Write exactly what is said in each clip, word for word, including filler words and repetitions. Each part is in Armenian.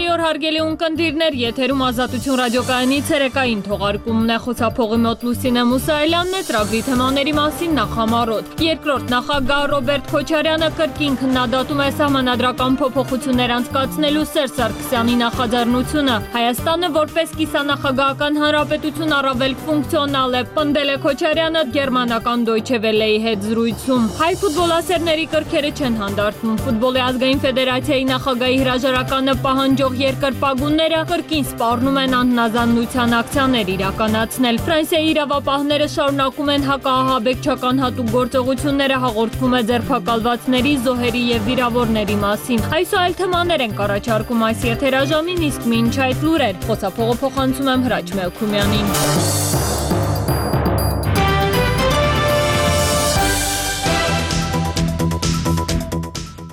Բարի օր հարգելի ունկնդիրներ, եթերում Ազատություն ռադիոկայանի ցերեկային թողարկումն է, խոսափողի մոտ Լուսինե Մուսայելյանն է, ծրագրի թեմաների մասին նախամարոտ։ Երկրորդ նախագահ Ռոբերտ Քոչարյանը կրկին քննադատում է սահմանադրական փոփոխություններ անցկացնելու Սերժ Սարգսյանի նախաձեռնությունը։ Հայաստանը որպես կիսանախագահական հանրապետություն առավել ֆունկցիոնալ է, պնդել է Քոչարյանը գերմանական Deutsche Welle-ի հետ զրույցում։ Հայ ֆուտբոլասերների կրքերը չեն հանդարտվում։ Ֆուտբոլի ազգային ֆեդերացիայի նախագահի հրաժարականը պահանջող երկրպագունները կրկին սպառնում են անհնազանդության ակցիաներ իրականացնել։ Ֆրանսիայի իրավապահները շարունակում են հակաահաբեկչական հատուկ գործողությունները, հաղորդվում է ձերբակալվածների, զոհերի և վիրավորների մասին։ Այսօր այլ թեմաներ ենք առաջարկում այս եթերաժամին, իսկ մինչ այդ լուրեր, խոսափողը փոխանցում եմ Հրաչ Մելքումյանին։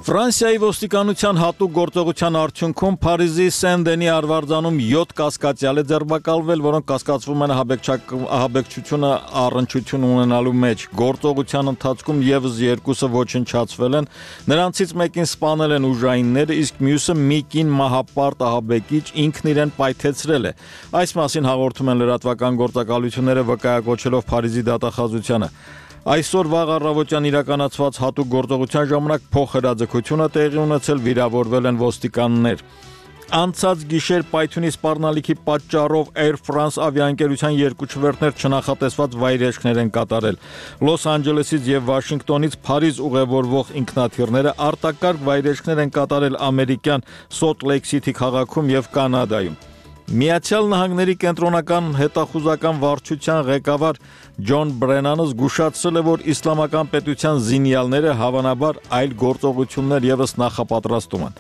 Ֆրանսիայի ոստիկանության հատուկ գործողության արդյունքում Փարիզի Սեն-Դենի արվարձանում յոթ կասկածյալ է ձերբակալվել, որոնք կասկածվում են ահաբեկչությունը առնչություն ունենալու մեջ։ Գործողության ընթացքում ևս երկուսը ոչնչացվել են, նրանցից մեկին սպանել են ուժայինները, իսկ մյուսը մի կին մահապարտ ահաբեկիչ ինքն իրեն պայթեցրել է։ Այս մասին հաղորդում են լրատվական գործակալությունները, վկայակոչելով Փարիզի դատախազությանը։ Այսօր վաղ առավոտյան իրականացված հատուկ գործողության ժամանակ փոխհրաձգություն է տեղի ունեցել, վիրավորվել են ոստիկաններ։ Անցած գիշեր պայթյունի սպառնալիքի պատճառով Air France ավիաընկերության երկու չվերթներ չնախատեսված վայրէջքներ են կատարել։ Լոս Անջելեսից եւ Վաշինգտոնից Փարիզ ուղևորվող ինքնաթիռները արտակարգ վայրէջքներ են կատարել ամերիկյան Սոլտ Լեյք Սիթի քաղաքում եւ Կանադայում։ Միացյալ Նահանգների կենտրոնական հետախուզական վարչության ղեկավար Ջոն Բրենանը զգուշացրել է, որ իսլամական պետության զինյալները հավանաբար այլ գործողություններ ևս նախապատրաստում են։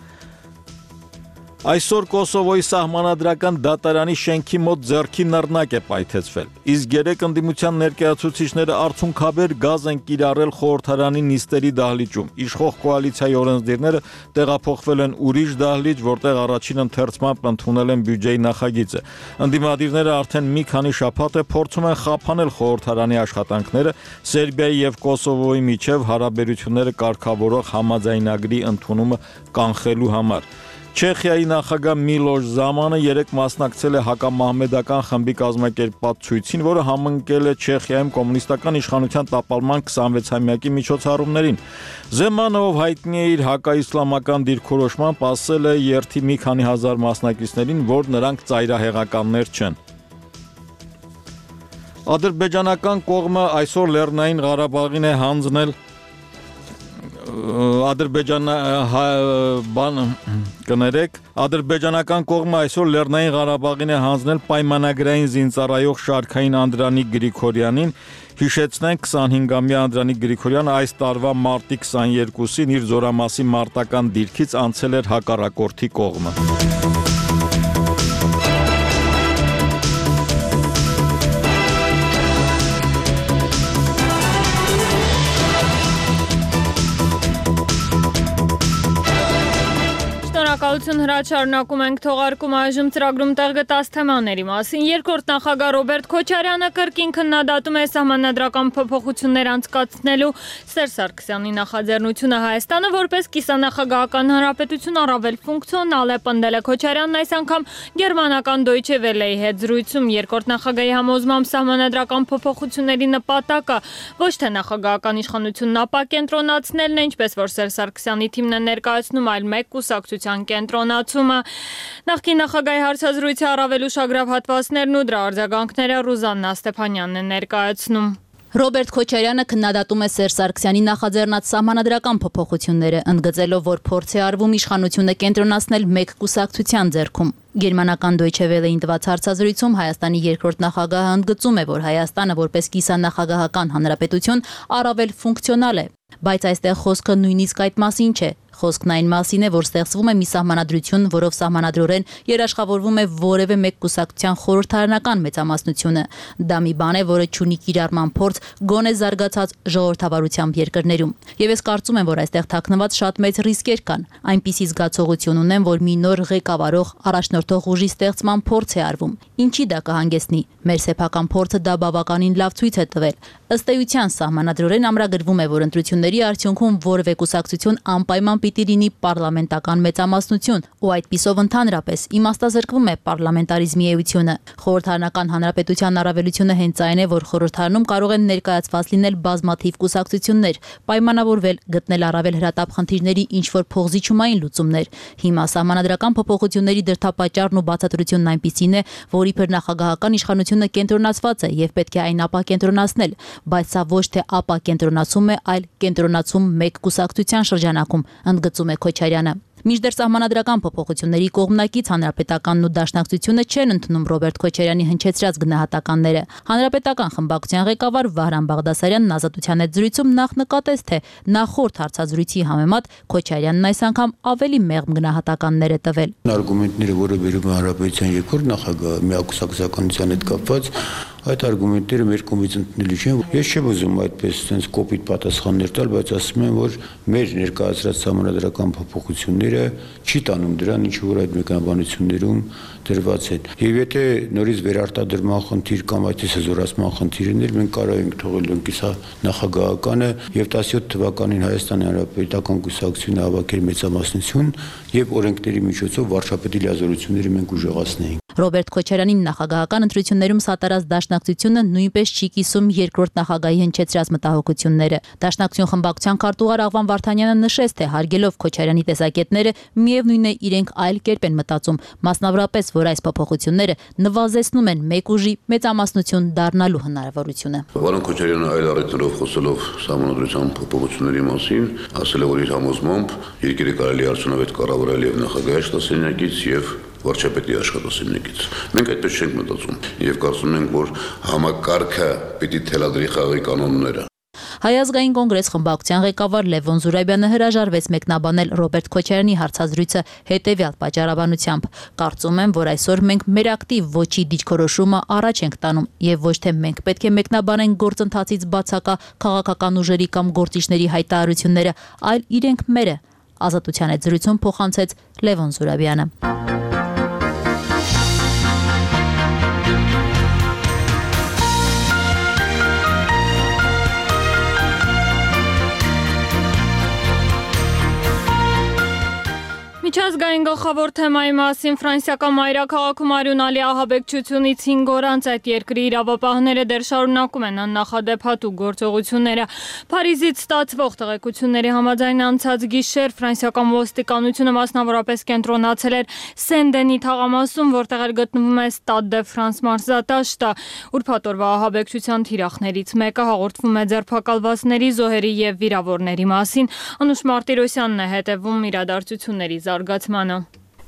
Այսօր Կոսովոյի սահմանադրական դատարանի շենքի մոտ ձեռքի նռնակ է պայթեցվել, իսկ երեք ընդդիմության ներկայացուցիչները արցունքաբեր գազ են կիրառել խորհրդարանի նիստերի դահլիճում։ Իշխող կոալիցիայի օրենսդիրները տեղափոխվել են ուրիշ դահլիճ, որտեղ առաջին ընթերցմամբ ընդունել են բյուջեի նախագիծը։ Ընդդիմադիրները արդեն մի քանի շաբաթ է փորձում են խափանել խորհրդարանի աշխատանքները Սերբիայի եւ Կոսովոյի միջև հարաբերությունները կարգավորող համաձայնագրի ընդունումը կանխելու համար։ Չեխիայի նախագահ Միլոշ Զամանը երեկ մասնակցել է հակամահմեդական խմբի կազմակերպած ցույցին, որը համընկել է Չեխիայում կոմունիստական իշխանության տապալման քսանվեցամյակի միջոցառումներին։ Զեմանը, ով հայտնի է իր հակաիսլամական դիրքորոշմամբ, ասել է երթի մի քանի հազար մասնակիցներին, որ նրանք ծայրահեղականներ չեն։ Ադրբեջանական կողմը այսօր Լեռնային Ղարաբաղին է հանձնել Ադրբեջանը բան կներեք Ադրբեջանական կողմը այսօր Լեռնային Ղարաբաղին է հանձնել պայմանագրային զինծառայող շարքային Անդրանիկ Գրիգորյանին։ Հիշեցնենք, քսանհինգամյա Անդրանիկ Գրիգորյանը այս տարվա մարտի քսաներկուսին իր զորամասի մարտական դիրքից անցել էր հակառակորդի կողմը։ Շնորհակալություն Հրաչ, շարունակում ենք թողարկում այժմ ծրագրում տեղ գտած թեմաների մասին։ Երկրորդ նախագահ Ռոբերտ Քոչարյանը կրկին քննադատում է սահմանադրական փոփոխություններ անցկացնելու Սերժ Սարգսյանի նախաձեռնությունը։ Հայաստանը որպես կիսանախագահական հանրապետություն առավել ֆունկցիոնալ է, պնդել է Քոչարյանն այս անգամ գերմանական Deutsche Welle-ի հետ զրույցում։ Երկրորդ նախագահի համոզմամբ սահմանադրական փոփոխությունների նպատակը ոչ թե նախագահական իշխանությունն ապակենտրոնացնելն է, ինչպես որ Սերժ Սարգսյանի թիմն է ներկայացնում, այլ մեկ կուսակցության կենտրոնացումը։ Նախկին նախագահի հարցազրույցի առավել ուշագրավ հատվածներն ու դրա արձագանքները Ռուզաննա Ստեփանյանն է ներկայացնում։ Ռոբերտ Քոչարյանը քննադատում է Սերժ Սարգսյանի նախաձեռնած սահմանադրական փոփոխությունները, ընդգծելով, որ փորձ է արվում իշխանությունը կենտրոնացնել մեկ կուսակցության ձեռքում։ Գերմանական Deutsche Welle-ին տված հարցազրույցում Հայաստանի երկրորդ նախագահը ընդգծում է, որ Հայաստանը որպես կիսանախագահական հանրապետություն առավել ֆունկցիոնալ է, բայց այստեղ խոսքը նույնիսկ այդ մասին չէ։ Խոսքն այն մասին է, որ ստեղծվում է մի սահմանադրություն, որով սահմանադրորեն երաշխավորվում է որևէ մեկ կուսակցության խորհրդարանական մեծամասնությունը։ Դա մի բան է, որը չունի կիրառման փորձ գոնե զարգացած ժողովրդավարությամբ երկրներում։ Եվ ես կարծում եմ, որ այստեղ թաքնված շատ մեծ ռիսկեր կան։ Այնպիսի զգացողություն ունեմ, որ մի նոր ղեկավարող առաջնորդող ուժի ստեղծման փորձ է արվում։ Ինչի դա կհանգեցնի։ Մեր սեփական փորձը դա բավականին լավ ցույց է տվել։ Ըստ էության սահմանադրորեն ամրագրվում է, որ ընտրությունը փոփոխությունների արդյունքում որևէ կուսակցություն անպայման պիտի լինի պարլամենտական մեծամասնություն, ու այդպիսով ընդհանրապես իմաստազրկվում է պարլամենտարիզմի էությունը։ Խորհրդարանական հանրապետության առավելությունը հենց այն է, որ խորհրդարանում կարող են ներկայացված լինել բազմաթիվ կուսակցություններ, պայմանավորվել, գտնել առավել հրատապ խնդիրների ինչ-որ փոխզիջումային լուծումներ։ Հիմա սահմանադրական փոփոխությունների դրդապատճառն ու բացատրությունն այնպիսին է, որ իբր նախագահական իշխանությունը կենտրոնացված է եւ պետք է այն ապակենտրոնացնել, բայց սա ոչ թե ապակենտրոնացում է, այլ կենտրոնացում մեկ կուսակցության շրջանակում, ընդգծում է Քոչարյանը։ Մինչդեռ սահմանադրական փոփոխությունների կողմնակից Հանրապետականն ու Դաշնակցությունը չեն ընդունում Ռոբերտ Քոչարյանի հնչեցրած գնահատականները։ Հանրապետական խմբակցության ղեկավար Վահրամ Բաղդասարյանն Ազատության հետ զրույցում նախ նկատեց, թե նախորդ հարցազրույցի համեմատ Քոչարյանն այս անգամ ավելի մեղմ գնահատականներ է տվել։ Արգումենտները, որը վերում է Հանրապետության երկրորդ նախագահ միակուսակցականության հետ կապված, այդ արգումենտները մեր կողմից ընդունելի չեն։ Ես չեմ ուզում այդպես sense կոպիտ պատասխաններ տալ, բայց ասում եմ, որ մեր ներկայացրած համանդրական փոփոխությունները չի տանում դրան, ինչ որ այդ մեկնաբանություններում դրված են։ Եվ եթե նորից վերարտադրման խնդիր կամ այդպես զորացման խնդիրներ, մենք կարող ենք թողել ընկիսա նախագահականը եւ տասնյոթ թվականին Հայաստանի Հանրապետական կուսակցությունը հավաքել մեծամասնություն եւ օրենքների միջոցով վարչապետի լիազորությունները մենք ուժեղացնեինք։ Ռոբերտ Քոչարյանին նախագահական ընտրություններում սատարած Դաշնակցությունը նույնպես չի կիսում երկրորդ նախագահի հնչեցրած մտահոգությունները։ Դաշնակցություն խմբակցության քարտուղար Աղվան Վարդանյանը նշեց, թե հարգելով Քոչարյանի տեսակետները, միևնույն է իրենք այլ կերպ են մտածում, մասնավորապես, որ այս փոփոխությունները նվազեցնում են մեկ ուժի մեծամասնություն դառնալու հնարավորությունը։ Վարան Քոչարյանը այլ առիթներով խոսելով սահմանադրության փոփոխությունների մասին, ասել է, որ իր համոզմամբ երկիրը կարելի է արդյունավետ կառավարել եւ նախագահի աշխատասենյակից եւ վարչապետի աշխատասենյակից։ Մենք այդպես չենք մտածում եւ կարծում ենք, որ համակարգը պիտի թելադրի խաղի կանոնները։ Հայ ազգային կոնգրես խմբակցության ղեկավար Լևոն Զուրաբյանը հրաժարվեց մեկնաբանել Ռոբերտ Քոչարյանի հարցազրույցը հետևյալ պատճառաբանությամբ. Կարծում եմ, որ այսօր մենք մեր ակտիվ ոչի դիրքորոշումը առաջ ենք տանում եւ ոչ թե մենք պետք է մեկնաբանենք գործընթացից բացակա քաղաքական ուժերի կամ գործիչների հայտարարությունները, այլ իրենք մերը։ Ազատության հետ զրույցում փոխանցեց Լևոն Զուրաբյանը։ Միջազգային գլխավոր թեմայի մասին ֆրանսիական մայրաքաղաքում արյունալի ահաբեկչությունից հինգ օր անց այդ երկրի իրավապահները դեռ շարունակում են աննախադեպ հատուկ գործողությունները։ Փարիզից ստացվող տեղեկությունների համաձայն անցած գիշեր ֆրանսիական ոստիկանությունը մասնավորապես կենտրոնացել էր Սեն-Դենի թաղամասում, որտեղ էր գտնվում է Ստադ դե Ֆրանս մարզադաշտը։ Ուրբաթ օրվա ահաբեկչության թիրախներից մեկը հաղորդվում է ձերբակալվածների, զոհերի եւ վիրավորների մասին։ Անուշ Մարտիրոսյանն է հետևում իրադարձությունների զարգացմանը։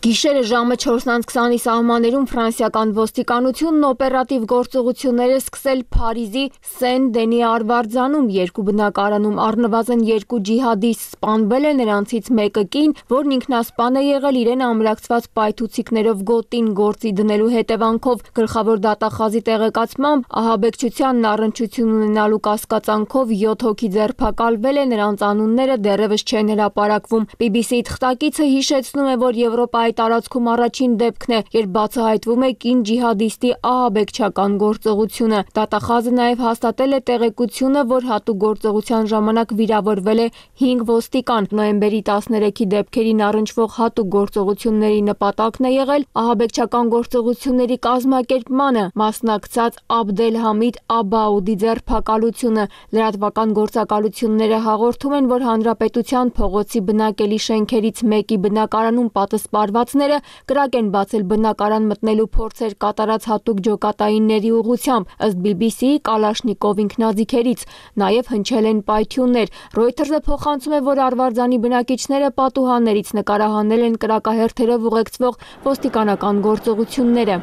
Գիշերը ժամը չորսն քսանի սահմաններում ֆրանսիական ոստիկանությունն օպերատիվ գործողություններ է սկսել Փարիզի Սեն-Դենի արվարձանում, երկու բնակարանում առնվազն երկու ջիհադիստ սպանվել է, նրանցից մեկը կին, որն ինքնասպան է եղել իրեն ամրացված պայթուցիկներով գոտին գործի դնելու հետևանքով։ Գլխավոր դատախազի տեղեկացմամբ ահաբեկչությանն առնչություն ունենալու կասկածանքով յոթ հոգի ձերբակալվել է, նրանց անունները դեռևս չեն հրապարակվում։ բի բի սի թղթակիցը հիշեցնում է, որ Եվրոպայի տարածքում առաջին դեպքն է, երբ բացահայտվում է կին ջիհադիստի ահաբեկչական գործողությունը։ Դատախազը նաև հաստատել է տեղեկությունը, որ հատուկ գործողության ժամանակ վիրավորվել է հինգ ոստիկան։ Նոյեմբերի տասներեքի դեպքերին առնչվող հատուկ գործողությունների նպատակն է եղել ահաբեկչական գործողությունների կազմակերպմանը մասնակցած Աբդելհամիդ Աբաուդի ձերբակալությունը։ Լրատվական գործակալությունները հաղորդում են, որ հանրապետության փողոցի բնակելի շենքերից մեկի բնակարանում պատսպարված կրակ են բացել բնակարան մտնելու փորձեր կատարած հատուկ ջոկատայինների ուղղությամբ, ըստ բի բի սի-ի Կալաշնիկով ինքնաձիգերից, նաև հնչել են պայթյուններ։ Ռոյթերսը փոխանցում է, որ արվարձանի բնակիչները պատուհաններից նկարահանել են կրակահերթերով ուղեկցվող ոստիկանական գործողությունները։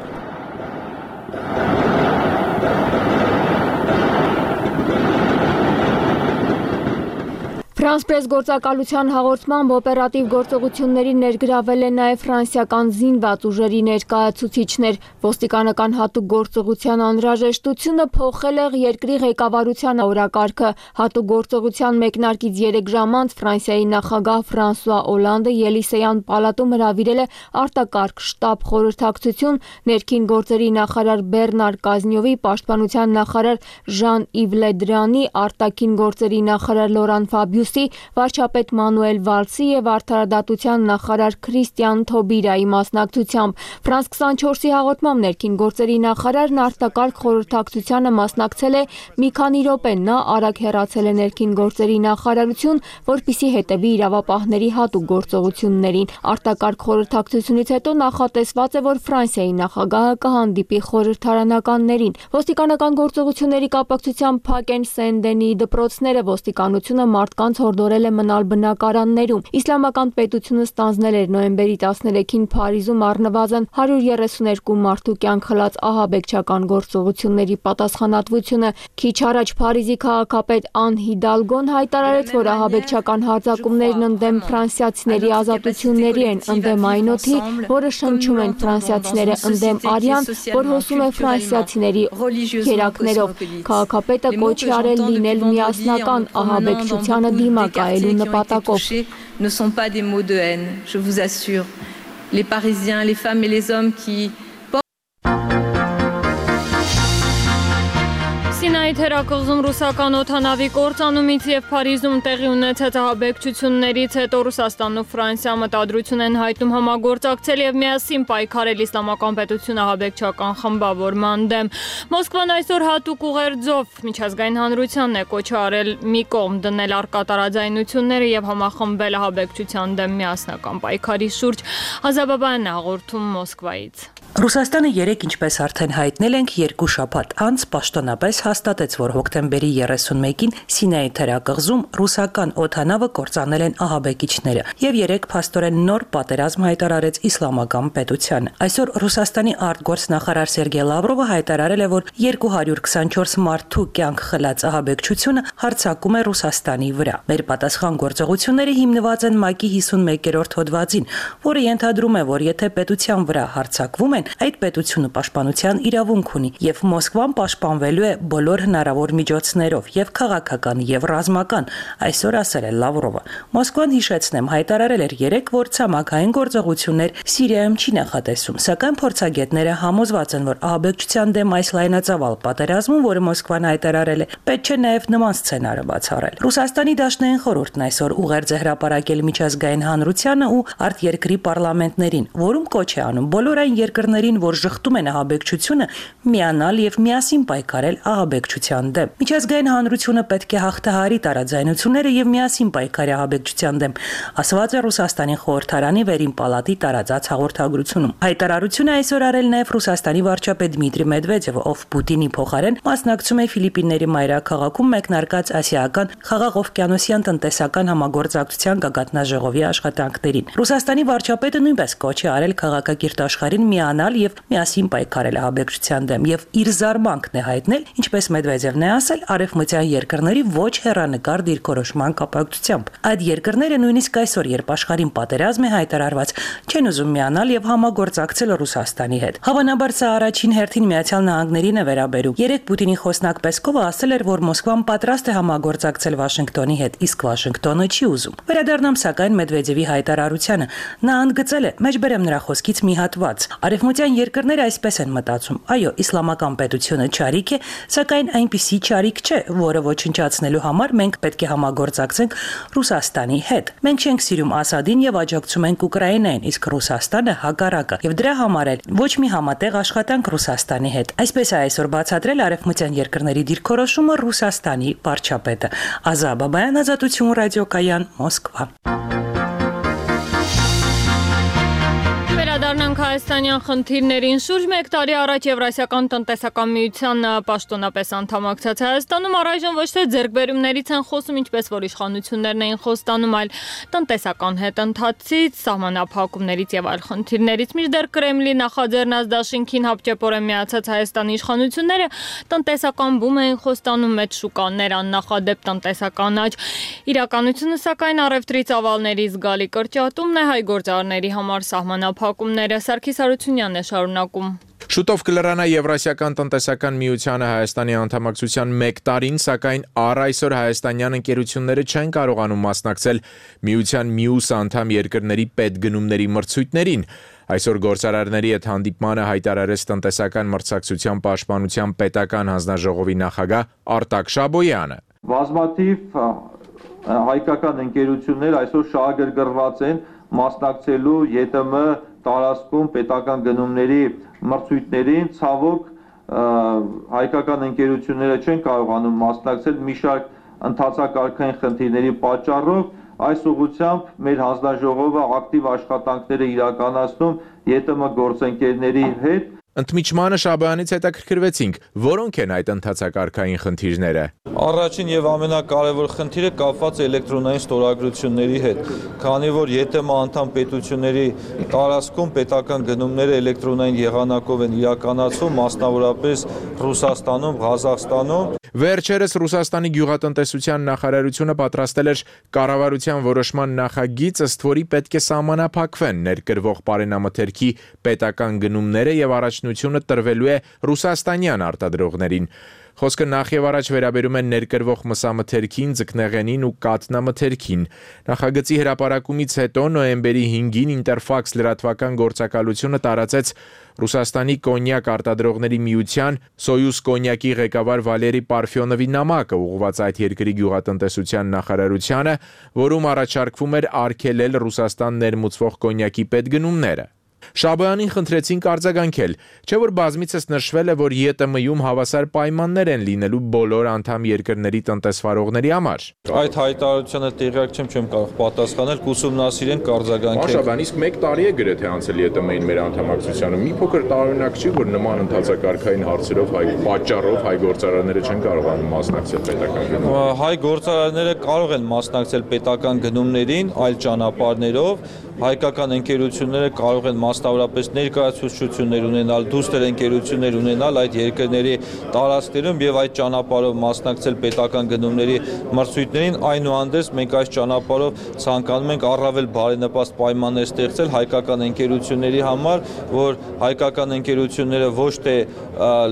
Ֆրանս պրես գործակալության հաղորդմամբ օպերատիվ գործողությունների ներգրավել է նաև ֆրանսիական զինված ուժերի ներկայացուցիչներ։ Ոստիկանական հատուկ գործողության անհրաժեշտությունը փոխել է երկրի ղեկավարության օրակարգը։ Հատուկ գործողության մեկնարկից երեք ժամ անց Ֆրանսիայի նախագահ Ֆրանսուଆ Օլանդը Ելիսեյան պալատում հրավիրել է արտակարգ շտաբ խորհրդակցություն ներքին գործերի նախարար Բեռնար Կազնյովի, պաշտպանության նախարար Ժան-Իվ Լե Դրանի, արտաքին գործերի նախարար Լորան Ֆաբիուսի, վարչապետ Մանուել Վալսի եւ արդարադատության նախարար Քրիստիան Թոբիրայի մասնակցությամբ։ Ֆրանս քսանչորսի հաղորդմամբ ներքին գործերի նախարարն արտակարգ խորհրդակցությանը մասնակցել է մի քանի րոպե։ Նա արագ հեռացել է ներքին գործերի նախարարություն, որպեսզի հետևի իրավապահների հատուկ գործողություններին։ Արտակարգ խորհրդակցությունից հետո նախատեսված է, որ Ֆրանսիայի նախագահը կհանդիպի խորհրդարանականներին։ Ոստիկանական գործողությունների կապակցությամբ փակ են Սեն-Դենիի դպրոցները։ Ոստիկանությունը մարդկանց հորդորել է մնալ բնակարաններում։ Իսլամական պետությունը ստանձնել էր նոյեմբերի տասներեքին Փարիզում առնվազն հարյուր երեսուներկու մարդու կյանք խլած ահաբեկչական գործողությունների պատասխանատվությունը։ Քիչ առաջ Փարիզի քաղաքապետ Ան Հիդալգոն հայտարարեց, որ ահաբեկչական հարձակումներն ընդդեմ ֆրանսիացիների ազատությունների են, ընդդեմ այն օդի, որը շնչում են ֆրանսիացիները, ընդդեմ արյան, որ հոսում է ֆրանսիացիների երակներով։ Քաղաքապետը կոչ է արել լինել միասնական ահաբեկչությանը դիմակայելու նպատակով։ Ne sont pas des mots de haine, je vous assure. Les Parisiens, les femmes et les hommes qui Սինայի թերակղզում ռուսական օդանավի կործանումից եւ Փարիզում տեղի ունեցած ահաբեկչություններից հետո Ռուսաստանն ու Ֆրանսիան մտադրություն են հայտնում համագործակցել եւ միասին պայքարել իսլամական պետություն ահաբեկչական խմբավորման դեմ։ Մոսկվան այսօր հատուկ ուղերձով միջազգային հանրությանն է կոչ արել մի կողմ դնել առկա տարաձայնությունները եւ համախմբել ահաբեկչության դեմ միասնական պայքարի շուրջ։ Ազաբաբայանն հաղորդում Մոսկվայից։ Ռուսաստանը երեք, ինչպես արդեն հայտնել ենք, երկու շաբաթ անց պաշտոնապես հաստատեց, որ հոկտեմբերի երեսունմեկին Սինայի թերակղզում ռուսական օդանավը կործանել են ահաբեկիչները եւ երեք փաստորեն նոր պատերազմ հայտարարեց իսլամական պետությանը։ Այսօր Ռուսաստանի արտգործնախարար Սերգեյ Լավրովը հայտարարել է, որ երկու հարյուր քսանչորս մարդու կյանք խլած ահաբեկչությունը հարձակում է Ռուսաստանի վրա։ Մեր պատասխան գործողությունները հիմնված են ՄԱԿ-ի հիսունմեկերորդ հոդվածին, որը ենթադրում է, որ եթե պետության վրա հարձակվում են, այդ պետությունը պաշտպանության իրավունք ունի եւ Մոսկվան պաշտպանվելու է բոլոր հնարավոր միջոցներով եւ քաղաքական եւ ռազմական, այսօր ասել է Լավրովը։ Մոսկվան, հիշեցնեմ, հայտարարել էր երեք, որ ցամաքային գործողություններ Սիրիայում չի նախատեսում, սակայն փորձագետները համոզված են, որ ահաբեկչության դեմ այս լայնածավալ պատերազմում, որը Մոսկվան հայտարարել է, պետք է նաեւ նման սցենարը բացառել։ Ռուսաստանի դաշնային խորհուրդն այսօր ուղերձ է հրապարակել միջազգային հանրությանը ու արտերկրի պարլամենտներին, որում կոչ է անում բոլոր այն երկրներին, որ շղթում են ահաբեկչությունը, միանալ եւ միասին պայքարել ահաբեկչության դեմ։ Միջազգային հանրությունը պետք է հաղթահարի տարաձայնությունները եւ միասին պայքարի ահաբեկչության դեմ, ասված է Ռուսաստանի խորհրդարանի վերին պալատի տարածած հաղորդագրությունում։ Հայտարարությունը այսօր արել նաեւ Ռուսաստանի վարչապետ Դմիտրի Մեդվեդևը, ով Պուտինի փոխարեն մասնակցում է Ֆիլիպինների մայրաքաղաքում մեկնարկած ասիական խաղաղօվկիանոսյան տնտեսական համագործակցության գագաթնաժողովի աշխատանքներին։ Ռուսաստանի վարչապետը նույնպես կոչ է արել քաղաքակիրթ աշխարհին միանալ եւ միասին պայքարել ահաբեկչության դեմ եւ իր զարմանքն է հայտնել, ինչպես Մեդվեդևն է ասել, արևմտյան երկրների ոչ հեռանկար դիրքորոշման կապակցությամբ։ Այդ երկրները նույնիսկ այսօր, երբ աշխարհին պատերազմ է հայտարարված, չեն ուզում միանալ եւ համագործակցել Ռուսաստանի հետ։ Հավանաբար սա առաջին հերթին Միացյալ Նահանգներին է վերաբերում։ Երեք Պուտինի խոսնակ Պեսկովը ասել էր, որ Մոսկվան պատրաստ է համագործակցել Վաշինգտոնի հետ, իսկ Վաշինգտոնը չի ուզում։ Վերադառնամ սակայն Մեդվեդևի հայտարարությանը։ Նա ընդգծել է, մեջբերեմ նրա խոսքից մի հատված։ Արևմտյան երկրները այսպես են մտածում. այո, իսլամական պետությունը չարիք է, սակայն այնպիսի չարիք չէ, որը ոչնչացնելու համար մենք պետք է համագործակցենք Ռուսաստանի հետ։ Մենք չենք սիրում Ասադին եւ աջակցում ենք Ուկրաինային, իսկ Ռուսաստանը հակառակը, եւ դրա համար էլ ոչ մի համատեղ աշխատանք Ռուսաստանի հետ։ Այսպես է այսօր բացատրել արևմտյան երկրների դիրքորոշումը Ռուսաստանի վարչապետը։ Ազաբաբայան, Ազատություն ռադիոկայան, Մոսկվա։ Վերադառնանք Հայաստանյան խնդիրներին շուրջ մեկ տարի առաջ Եվրասիական տնտեսական միության պաշտոնապես անդամակցած Հայաստանում առայժմ ոչ թե ձեռքբերումներից են խոսում, ինչպես որ իշխանություններն էին խոստանում, այլ տնտեսական հետընթացից, սահմանափակումներից եւ այլ խնդիրներից։ Մինչդեռ Կրեմլի նախաձեռնած դաշինքին հապճեպորեն միացած Հայաստանի իշխանությունները տնտեսական բում էին խոստանում, մեծ շուկաներ, աննախադեպ տնտեսական աճ։ Իրականությունը սակայն առևտրի ծավալների զգալի կրճատումն է, հայ գործարարների համար սահմանափակումները։ Սարգիս Հարությունյանն է շարունակում։ Շուտով կլրանա Եվրասիական տնտեսական միությանը Հայաստանի անդամակցության մեկ տարին, սակայն առ այսօր հայաստանյան ընկերությունները չեն կարողանում մասնակցել միության մյուս անդամ երկրների պետգնումների մրցույթներին։ Այսօր գործարարների հետ հանդիպմանը հայտարարեց տնտեսական մրցակցության պաշտպանության պետական հանձնաժողովի նախագահ Արտակ Շաբոյանը։ Բազմաթիվ հայկական ընկերություններ այսօր շահագրգռված են մասնակցելու ԵՏՄ տարածքում պետական գնումների մրցույթներին, ցավոք հայկական ընկերությունները չեն կարողանում մասնակցել մի շարք ընթացակարգային խնդիրների պատճառով։ Այս ուղղությամբ մեր հանձնաժողովը ակտիվ աշխատանքներ է իրականացնում ԵՏՄ գործընկերների հետ։ Ընդմիջմանը Շաբոյանից հետաքրքրվեցինք, որոնք են այդ ընթացակարգային խնդիրները։ Առաջին եւ ամենակարևոր խնդիրը կապված է էլեկտրոնային ստորագրությունների հետ, քանի որ ԵՏՄ անդամ պետությունների տարածքում պետական գնումները էլեկտրոնային եղանակով են իրականացվում, մասնավորապես Ռուսաստանում, Ղազախստանում։ Վերջերս Ռուսաստանի գյուղատնտեսության նախարարությունը պատրաստել էր կառավարության որոշման նախագիծ, ըստ որի պետք է սահմանափակվեն ներկրվող պարենամթերքի պետական գնումները եւ առաջնությունը տրվելու է ռուսաստանյան արտադրողներին։ Խոսքը նախ եւ առաջ վերաբերում է ներկրվող մսամթերքին, ձկնեղենին ու կաթնամթերքին։ Նախագծի հրապարակումից հետո նոյեմբերի հինգին Ինտերֆաքս լրատվական գործակալությունը տարածեց Ռուսաստանի կոնյակ արտադրողների միության Սոյուզ կոնյակի ղեկավար Վալերի Պարֆյոնովի նամակը, ուղղված այդ երկրի գյուղատնտեսության նախարարությանը, որում առաջարկվում էր արգելել Ռուսաստան ներմուծվող կոնյակի պետգնումները։ Շաբոյանին խնդրեցինք արձագանքել, չէ որ բազմիցս նշվել է, որ ԵՏՄ-ում հավասար պայմաններ են լինելու բոլոր անդամ երկրների տնտեսվարողների համար։ Այդ հայտարարությանը տեղյակ չեմ, չեմ կարող պատասխանել, կուսումնասիրենք, կարձագանքենք։ Շաբոյան, իսկ մեկ տարի է գրեթե անցել ԵՏՄ-ին մեր անդամակցությանը։ Մի փոքր տարօրինակ չի, որ նման ընթացակարգային հարցերով հայ պատճառով հայ գործարարները չեն կարողանում մասնակցել պետական գնումներին։ Հայ գործարարները կարող են մասնակցել պետական գնումներին այլ ճանապարհներով, հայկական ընկերությունները կարող են մասնավորապես ներկայացուցչություններ ունենալ, դուստր ընկերություններ ունենալ այդ երկրների տարածքներում եւ այդ ճանապարհով մասնակցել պետական գնումների մրցույթներին, այնուհանդերձ մենք այս ճանապարհով ցանկանում ենք առավել բարենպաստ պայմաններ ստեղծել հայկական ընկերությունների համար, որ հայկական ընկերությունները ոչ թե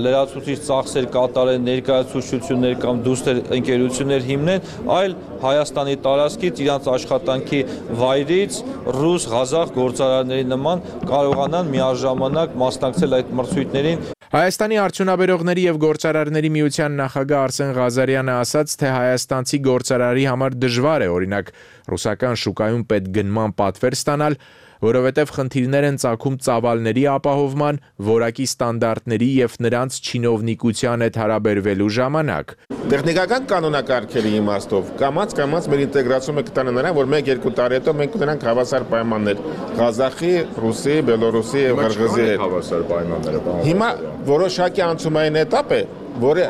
լրացուցիչ ծախսեր կատարեն, ներկայացուցչություններ կամ դուստր ընկերություններ հիմնեն, այլ Հայաստանի տարածքից իրանց աշխատանքի վայրից ռուս, ղազախ գործարարների նման կարողանան միաժամանակ մասնակցել այդ մրցույթներին։ Հայաստանի արդյունաբերողների եւ գործարարների միության նախագահ Արսեն Ղազարյանը ասաց, թե հայաստանցի գործարարի համար դժվար է օրինակ ռուսական շուկայում պետգնման պատվեր ստանալ, որովհետև խնդիրներ են ծագում ծավալների ապահովման, որակի ստանդարտների եւ նրանց չինովնիկության հետ հարաբերվելու ժամանակ։ Տեխնիկական կանոնակարգերի իմաստով կամաց կամաց մեր ինտեգրացումը կտանը նրան, որ մեկ երկու տարի հետո մենք ունենանք հավասար պայմաններ Ղազախի, Ռուսի, Բելորուսի եւ Ղրղզի հետ հավասար պայմանները։ Հիմա որոշակի անցումային էտապ է, որը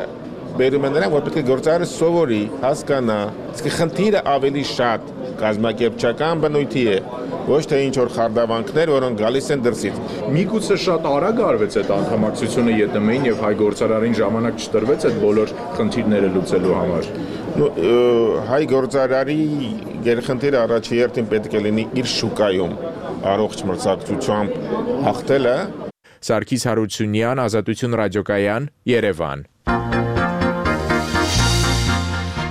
բերում է նրան, որ պետք է գործարարը սովորի, հասկանա, իսկ խնդիրը ավելի շատ կազմակերպչական բնույթի է, ոչ թե ինչ որ խարդավանքներ, որոնք գալիս են դրսից։ Միգուցե շատ արագ արվեց այդ անդամակցությունը ԵՏՄ-ին եւ հայ գործարարին ժամանակ չտրվեց այդ բոլոր խնդիրները լուծելու համար։ Հայ գործարարի գերխնդիրը առաջի հերթին պետք է լինի իր շուկայում առողջ մրցակցությամբ հաղթելը։ Սարգիս Հարությունյան, Ազատություն ռադիոկայան, Երևան։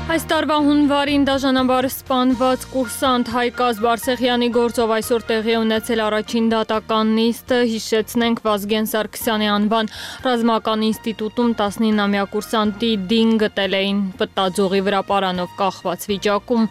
Այս տարվա հունվարին դաժանաբար սպանված կուրսանտ Հայկազ Բարսեղյանի գործով այսօր տեղի ունեցել առաջին դատական նիստը, հիշեցնենք Վազգեն Սարգսյանի անվան ռազմական ինստիտուտում տասնինամյա կուրսանտի դին գտել էին պտտաձողի վրա պարանով կախված վիճակում։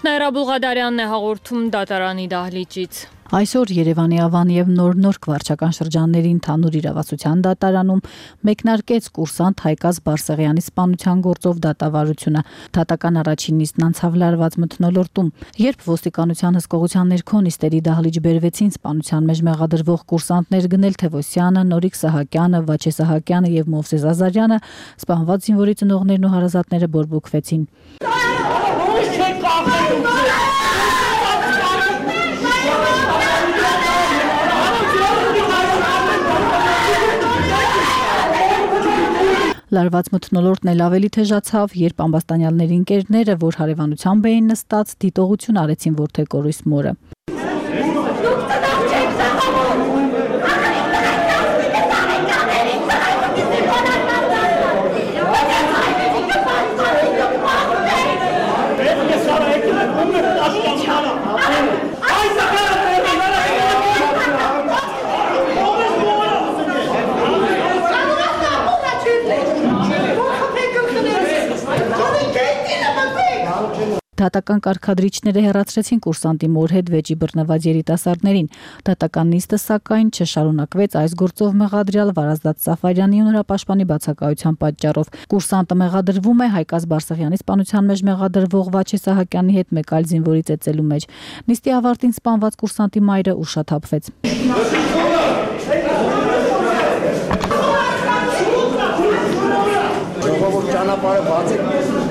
Նաիրա Բուլղադարյանն է հաղորդում դատարանի դահլիճից։ Այսօր Երևանի Ավան եւ Նոր-Նորք վարչական շրջանների ընդհանուր իրավասության դատարանում մեկնարկեց կուրսանտ Հայկազ Բարսեղյանի սպանության գործով դատավարությունը։ Դատական առաջին նիստն անցավ լարված մթնոլորտում, երբ ոստիկանության հսկողության ներքո նիստերի դահլիճ բերվեցին սպանության մեջ մեղադրվող կուրսանտներ Գնել Թևոսյանը, Նորիկ Սահակյանը, Վաչե Սահակյանը եւ Մովսես Ազարյանը, սպանված զինվորի ծնողներն ու հարազատները բորբոքվեցին։ Լարված մթնոլորտն էլ ավելի թեժացավ, երբ ամբաստանյալների ընկերները, որ հարևանությամբ էին նստած, դիտողություն արեցին որդեկորույս մորը։ Դատական կարգադրիչները հեռացրեցին կուրսանտի մոր հետ վեճի բռնված երիտասարդներին։ Դատական նիստը սակայն չշարունակվեց այս գործով մեղադրյալ Վարազդատ Սաֆարյանի ու նրա պաշտպանի բացակայության պատճառով։ Կուրսանտը մեղադրվում է Հայկազ Բարսեղյանի սպանության մեջ մեղադրվող Վաչե Սահակյանի հետ մեկ այլ զինվորի ծեծելու մեջ։ Նիստի ավարտին սպանված կուրսանտի մայրը ուշաթափվեց։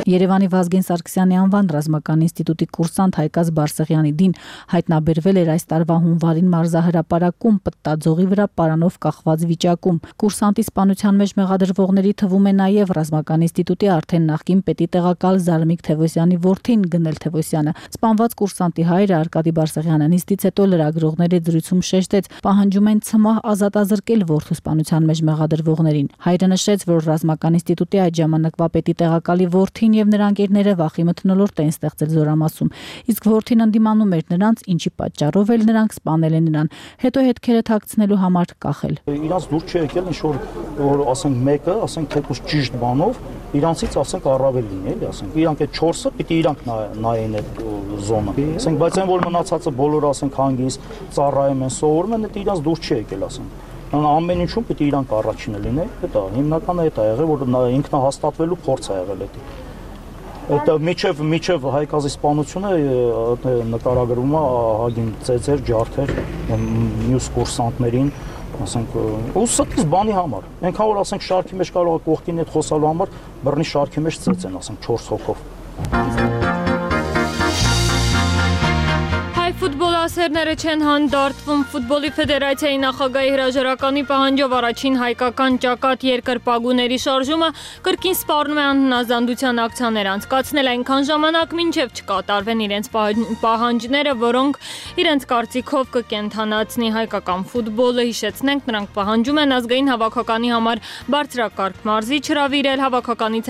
Երևանի Վազգեն Սարգսյանի անվան ռազմական ինստիտուտի կուրսանտ Հայկազ Բարսեղյանի դին հայտնաբերվել էր այս տարվա հունվարին մարզահրապարակում պտտաձողի վրա պարանով կախված վիճակում։ Կուրսանտի սպանության մեջ մեղադրվողների թվում է նաև ռազմական ինստիտուտի արդեն նախկին պետի տեղակալ Զարմիկ Թևոսյանի որդին Գնել Թևոսյանը։ Սպանված կուրսանտի հայրը Արկադի Բարսեղյանը նիստից հետո լրագրողների զրույցում շեշտեց, պահանջում են ցմահ ազատազրկել որդու սպանության մեջ մեղադրվողներին։ Հայրը նշեց, որ ռազմական ինստիտուտի այդ ժամանակվա պետի տեղակալի որդին եւ նրա ընկերները վախի մթնոլորտ էին ստեղծել Զորամասում, իսկ որդին ընդդիմանում էր նրանց, ինչի պատճառով էլ նրանք սպանել են նրան, հետո հետքերը թաքցնելու համար կախել։ Իրանց դուր չի եկել ինչ որ որ ասենք մեկը, ասենք թեկուզ ճիշտ բանով, իրանցից ասենք առավել լինի, էլի ասենք։ Իրանք այդ չորսը պիտի իրանք նայեն այդ զոնը։ Ասենք, բայց այն որ մնացածը բոլորը ասենք հանգիստ ծառայում են, սովորում են, դա իրանց դուր չի եկել ասենք։ Ամեն ինչում պիտի իրանք առաջինը լինեն, դա հիմնականը դա եղել, որ ինքնահաստատվելու փորձ է եղել դա։ Այդ միջև միջև Հայկազի սպանությունը նկարագրվում է ահագին ծեծեր, ջարդեր մյուս կուրսանտներին, ասենք, ու ստից բանի համար։ Այնքան որ ասենք շարքի մեջ կարող է կողքին հետ խոսալու համար բռնի շարքի մեջ ծեծեն, ասենք չորս հոգով։ Ֆուտբոլասերները չեն հանդարտվում։ Ֆուտբոլի ֆեդերացիայի նախագահի հրաժարականի պահանջով առաջին հայկական ճակատ երկրպագուների շարժումը կրկին սպառնում է անհնազանդության ակցիաներ անցկացնել այնքան ժամանակ, մինչև չկատարվեն իրենց պահանջները, որոնք իրենց կարծիքով կկենդանացնի հայկական ֆուտբոլը։ Հիշեցնենք, նրանք պահանջում են ազգային հավաքականի համար բարձրակարգ մարզիչ հրավիրել, հավաքականից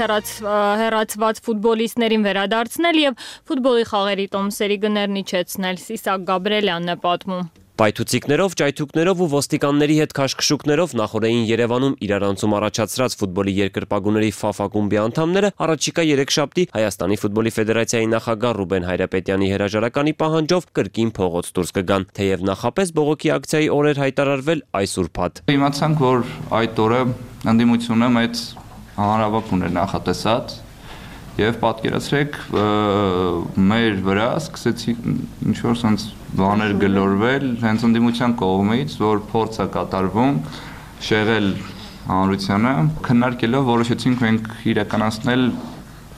հեռացված ֆուտբոլիստներին վերադարձնել եւ ֆուտբոլի խաղերի տոմսերի գներն իջեցնել։ Իսակ Գաբրելյանն է պատմում։ Պայթուցիկներով, ճայթուկներով ու ոստիկանների հետ քաշքշուկներով նախորդային Երևանում իրարանցում առաջացրած ֆուտբոլի երկրպագուների Ֆաֆ ակումբի անդամները առաջիկա երեքշաբթի Հայաստանի ֆուտբոլի ֆեդերացիայի նախագահ Ռուբեն Հայրապետյանի հրաժարականի պահանջով կրկին փողոց դուրս կգան, թեև նախապես բողոքի ակցիայի օրեր հայտարարվել այս ուրբաթ։ Իմացանք, որ այդ օրը ընդդիմությունը մեծ հանրավաք ուներ նախատեսած եւ պատկերացրեք մեր վրա սկսեցի ինչ որ sense բաներ գլորվել հենց ընդդիմության կողմից, որ փորձ է կատարվում շեղել հանրությանը, քննարկելով որոշեցինք մենք իրականացնել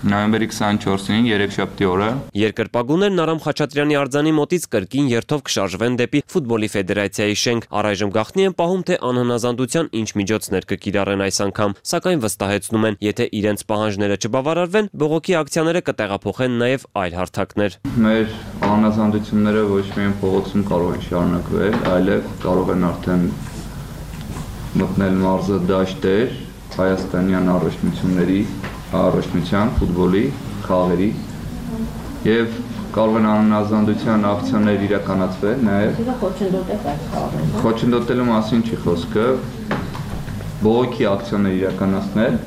նոյեմբերի քսանչորսին երեքշաբթի օրը երկրպագուներն Արամ Խաչատրյանի արձանի մոտից կրկին երթով կշարժվեն դեպի ֆուտբոլի ֆեդերացիայի շենք։ Առայժմ գաղտնի են պահում, թե անհնազանդության ինչ միջոցներ կկիրառեն այս անգամ, սակայն վստահեցնում են, եթե իրենց պահանջները չբավարարվեն, բողոքի ակցիաները կտեղափոխեն նաև այլ հարթակներ։ Մեր անհնազանդությունները ոչ միայն փողոցում կարող են շարունակվել, այլև կարող են արդեն մտնել մարզը դաշտեր հայաստանյան առաջնությունների առաջնության, ֆուտբոլի, խաղերի եւ կարող են անհնազանդության ակցիաներ իրականացվել նաեւ խոչընդոտելու մասին չի խոսքը, բողոքի ակցիաներ իրականացնել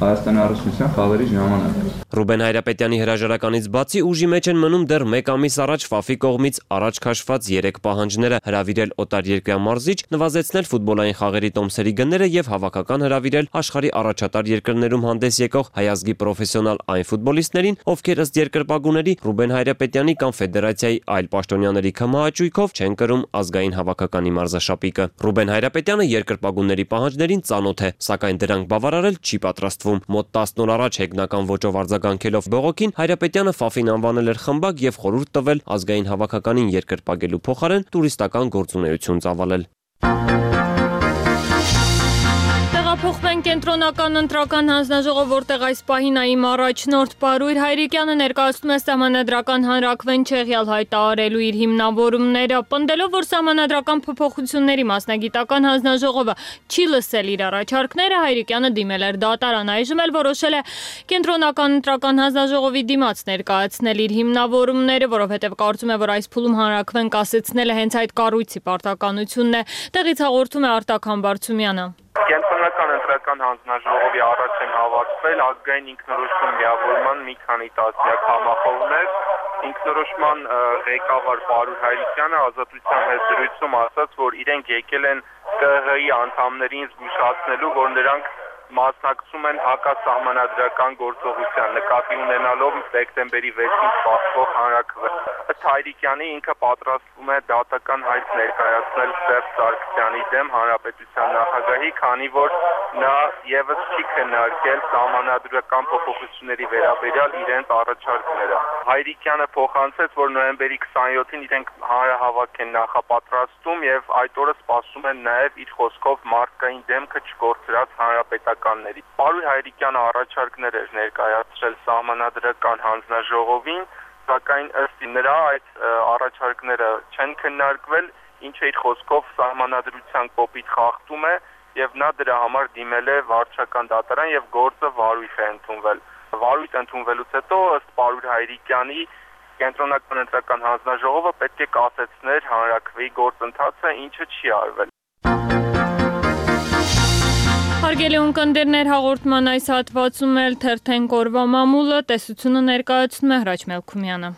Հայաստանի Հանրապետության խաղերի ժամանակ։ Ռուբեն Հայրապետյանի հրաժարականից բացի ուժի մեջ են մնում դեռ մեկ ամիս առաջ ՖԱՖ-ի կողմից առաջ քաշված երեք պահանջները՝ հրավիրել օտարերկրյա մարզիչ, նվազեցնել ֆուտբոլային խաղերի տոմսերի գները եւ հավաքական հրավիրել աշխարհի առաջատար երկրներում հանդես եկող հայազգի պրոֆեսիոնալ այն ֆուտբոլիստներին, ովքեր ըստ երկրպագուների Ռուբեն Հայրապետյանի կամ ֆեդերացիայի այլ պաշտոնյաների քմահաճույքով չեն կրում ազգային հավաքականի մարզաշապիկը։ Ռուբեն Հայրապետյանը երկրպագուների պահանջներին ծանոթ է, սակայն դրանք բավարարել չի պատրաստվում։ Մոտ տասն օր առաջ հեգնական ոճով արձագանքելով բողոքին Հայրապետյանը ՖԱՖ-ին անվանել էր խմբակ եւ խորհուրդ տվել ազգային հավաքականին երկրպագելու փոխարեն տուրիստական գործունեություն ծավալել։ Տեղափոխվենք կենտրոնական ընտրական հանձնաժողով, որտեղ այս պահին ԱԻՄ առաջնորդ Պարույր Հայրիկյանը ներկայացնում է սահմանադրական հանրաքվեն չեղյալ հայտարարելու իր հիմնավորումները, պնդելով, որ սահմանադրական փոփոխությունների մասնագիտական հանձնաժողովը չի լսել իր առաջարկները, Հայրիկյանը դիմել էր դատարան, այժմ էլ որոշել է կենտրոնական ընտրական հանձնաժողովի դիմաց ներկայացնել իր հիմնավորումները, որովհետև կարծում է, որ այս փուլում հանրաքվեն կասեցնելը հենց այդ կառույցի պարտականությունն է։ Տեղից հաղորդում է Արտակ Համբարձումյանը։ Կենտրոնական ընտրական հանձնաժողովի առաջ են հավաքվել ազգային ինքնորոշում միավորման մի քանի տասնյակ համախոհներ։ Ինքնորոշման ղեկավար Պարույր Հայրիկյանը Ազատության հետ զրույցում ասաց, որ իրենք եկել են ԿՀ-ի անդամներին զգուշացնելու, որ նրանք մասնակցում են հակասահմանադրական գործողության, նկատի ունենալով դեկտեմբերի վեցին սպասվող հանրաքվեն։ Ըստ Հայրիկյանի ինքը պատրաստվում է դատական հայտ ներկայացնել Սերժ Սարգսյանի դեմ հանրապետության նախագահի, քանի որ նա եւս չի քննարկել սահմանադրական փոփոխությունների վերաբերյալ իրենց առաջարկները։ Հայրիկյանը փոխանցեց, որ նոյեմբերի քսաներկուին իրենք հանրահավաք են նախապատրաստում եւ այդ օրը սպասում են նաեւ իր խոսքով մարդկային դեմքը չկորցրած հանրապետականների։ Պարույր Հայրիկյանը առաջարկներ էր ներկայացրել սահմանադրական հանձնաժողովին, սակայն ըստ նրա այդ առաջարկները չեն քննարկվել, ինչը իր խոսքով սահմանադրության կոպիտ խախտում է եւ նա դրա համար դիմել է վարչական դատարան եւ գործը վարույթ է ընդունվել։ Վարույթ ընդունվելուց հետո ըստ Պարույր Հայրիկյանի կենտրոնական ընտրական հանձնաժողովը պետք է կասեցներ հանրաքվեի գործընթացը, ինչը չի արվել։ Հարգելի ունկնդիրներ, հաղորդման այս հատվածում էլ թերթենք օրվա մամուլը, տեսությունը ներկայացնում է Հրաչ Մելքումյանը։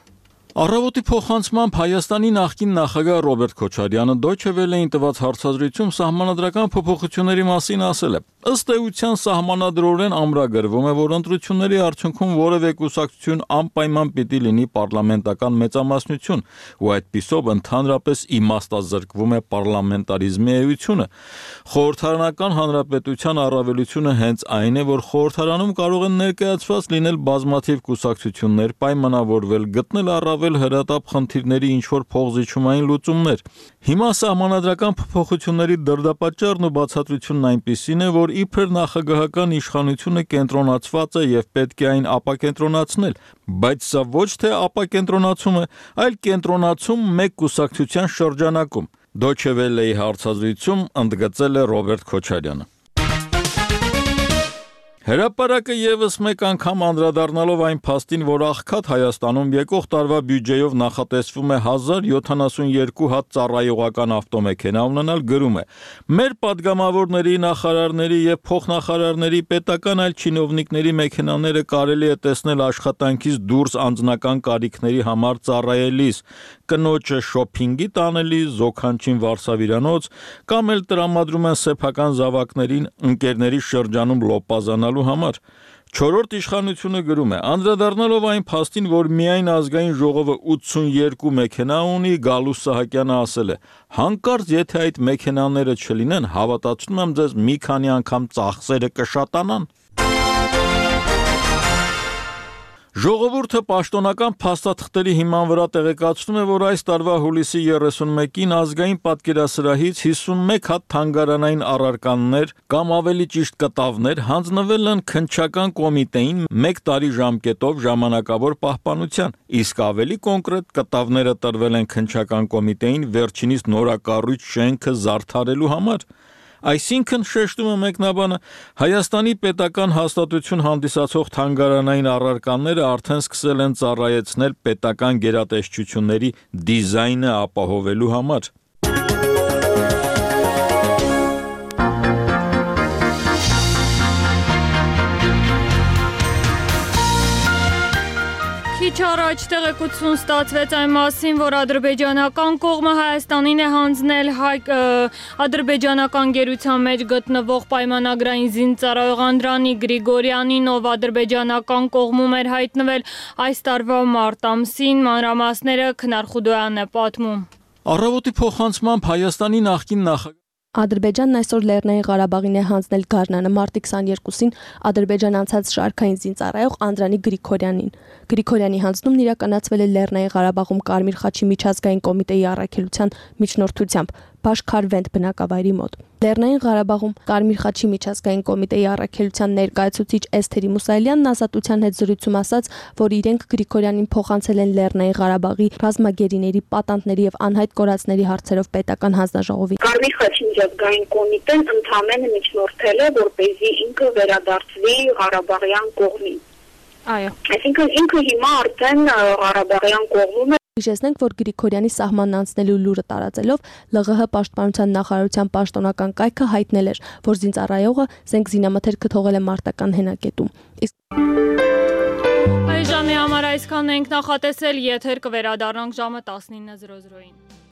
Առավոտի փոխանցմամբ Հայաստանի նախկին նախագահ Ռոբերտ Քոչարյանը Deutsche Welle-ին տված հարցազրույցում սահմանադրական փոփոխությունների մասին ասել է. ըստ էության սահմանադրորեն ամրագրվում է, որ ընտրությունների արդյունքում որևէ կուսակցություն անպայման պիտի լինի պարլամենտական մեծամասնություն, ու այդպիսով ընդհանրապես իմաստազրկվում է պարլամենտարիզմի էությունը։ Խորհրդարանական հանրապետության առավելությունը հենց այն է, որ խորհրդարանում կարող են ներկայացված լինել բազմաթիվ կուսակցություններ, պայմանավորվել, գտնել առավել հրատապ խնդիրների ինչ-որ փողզիչումային լուծումներ։ Հիմա սահմանադրական փոփոխությունների դրդապատճառն ու բացատրությունն այնպիսին է, որ իբր նախագահական իշխանությունը կենտրոնացված է եւ պետք է այն ապակենտրոնացնել, բայց սա ոչ թե ապակենտրոնացում է, այլ կենտրոնացում մեկ կուսակցության շրջանակում։ Deutsche Welle-ի հարցազրույցում ընդգծել է Ռոբերտ Քոչարյանը։ Հրապարակը եւս մեկ անգամ անդրադառնալով այն փաստին, որ աղքատ Հայաստանում եկող տարվա բյուջեով նախատեսվում է հազար յոթանասունյոթ հատ ծառայողական ավտոմեքենա ունենալ, գրում է. մեր падգամավորների, նախարարների եւ փոխնախարարների պետական այլ չինովնիկների մեքենաները կարելի է տեսնել աշխատանքից դուրս անձնական կարիքների համար ծառայելիս, կնոջը շոփինգի տանելիս, զոքանչին վարսավիրանոց, կամ էլ տրամադրում են սեփական զավակներին ընկերների շրջանում լոպազանալ համար։ Չորրորդ իշխանությունը գրում է. անդրադառնալով այն փաստին, որ միայն ազգային ժողովը ութսունյոթ մեքենա ունի, Գալուս Սահակյանը ասել է. հանկարծ եթե այդ մեքենաները չլինեն, հավատացնում եմ ձեզ մի քանի անգամ ծախսերը կշատանան։ Ժողովուրդը պաշտոնական փաստաթղթերի հիման վրա տեղեկացնում է, որ այս տարվա հուլիսի երեսունմեկին ազգային պատկերասրահից հիսունմեկ հատ թանգարանային առարկաներ կամ ավելի ճիշտ կտավներ հանձնվել են քննչական կոմիտեին մեկ տարի ժամկետով ժամանակավոր պահպանության, իսկ ավելի կոնկրետ կտավները տրվել են քննչական կոմիտեին վերջինիս նորակառույց շենքը զարդարելու համար։ Այսինքն, շեշտում է մեկնաբանը, Հայաստանի պետական հաստատություն հանդիսացող թանգարանային առարկաները արդեն սկսել են ծառայեցնել պետական գերատեսչությունների դիզայնը ապահովելու համար։ Քիչ առաջ տեղեկություն ստացվեց այն մասին, որ ադրբեջանական կողմը Հայաստանին է հանձնել հայ ադրբեջանական գերության մեջ գտնվող պայմանագրային զինծառայող Անդրանիկ Գրիգորյանին, ով ադրբեջանական կողմում էր հայտնվել այս տարվա մարտ ամսին, մանրամասները Քնար Խուդոյանն է պատմում։ Առավոտի փոխանցմամբ Հայաստանի նախկին նախագահ Ադրբեջանն այսօր Լեռնային Ղարաբաղին է հանձնել գարնանը մարտի քսաներկուսին Ադրբեջան անցած շարքային զինծառայող Անդրանիկ Գրիգորյանին։ Գրիգորյանի հանձնումն իրականացվել է Լեռնային Ղարաբաղում Կարմիր խաչի միջազգային կոմիտեի առաքելության միջնորդությամբ Բաշքարվենտ բնակավայրի մոտ։ Լեռնային Ղարաբաղում Կարմիր խաչի միջազգային կոմիտեի առաքելության ներկայացուցիչ Էսթերի Մուսայելյանն ազատության հետ զրույցում ասաց, որ իրենք Գրիգորյանին փոխանցել են Լեռնային Ղարաբաղի ռազմագերիների, պատանտների եւ անհայտ կորածների հարցերով պետական հանձնաժողովի։ Կարմիր խաչի միջազգային կոմիտեն ընդհանրապես միջնորդել է, որպեսզի ինքը վերադարձվի Ղարաբաղյան կողմին։ Այո։ Այսինքն ինքը հիմա արդեն Ղարաբաղյան կողմում է։ Հիշեցնենք, որ Գրիգորյանի սահմանն անցնելու լուրը տարածելով ԼՂՀ պաշտպանության նախարարության պաշտոնական կայքը հայտնել էր, որ զինծառայողը զենք զինամթերքը թողել է մարտական հենակետում։ Իսկ Այս ժամի համար այսքանն ենք նախատեսել, եթեր կվերադառնանք ժամը տասնինը զրո զրոյին։